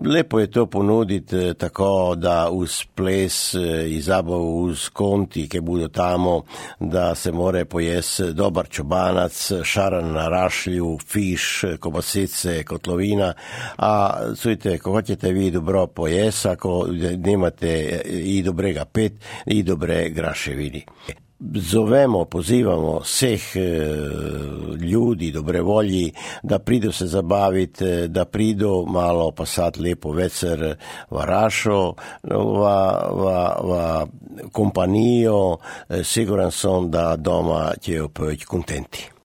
Lepo je to ponuditi tako, da uz ples i zabavu uz konti, ki bodo tamo, da se more pojesti dobar čobanac, šaran na rašlju, fiš, kobasice, kotlovina, a čujte, ko hoćete vi dobro pojesti, ako nemate i dobrega pet, i dobre graševini. Zovemo, pozivamo vseh ljudi, dobre volji, da pridu se zabaviti, da pridu malo pasati lepo večer v Rašo, v kompanijo, siguran sem, da doma ćejo biti kontenti.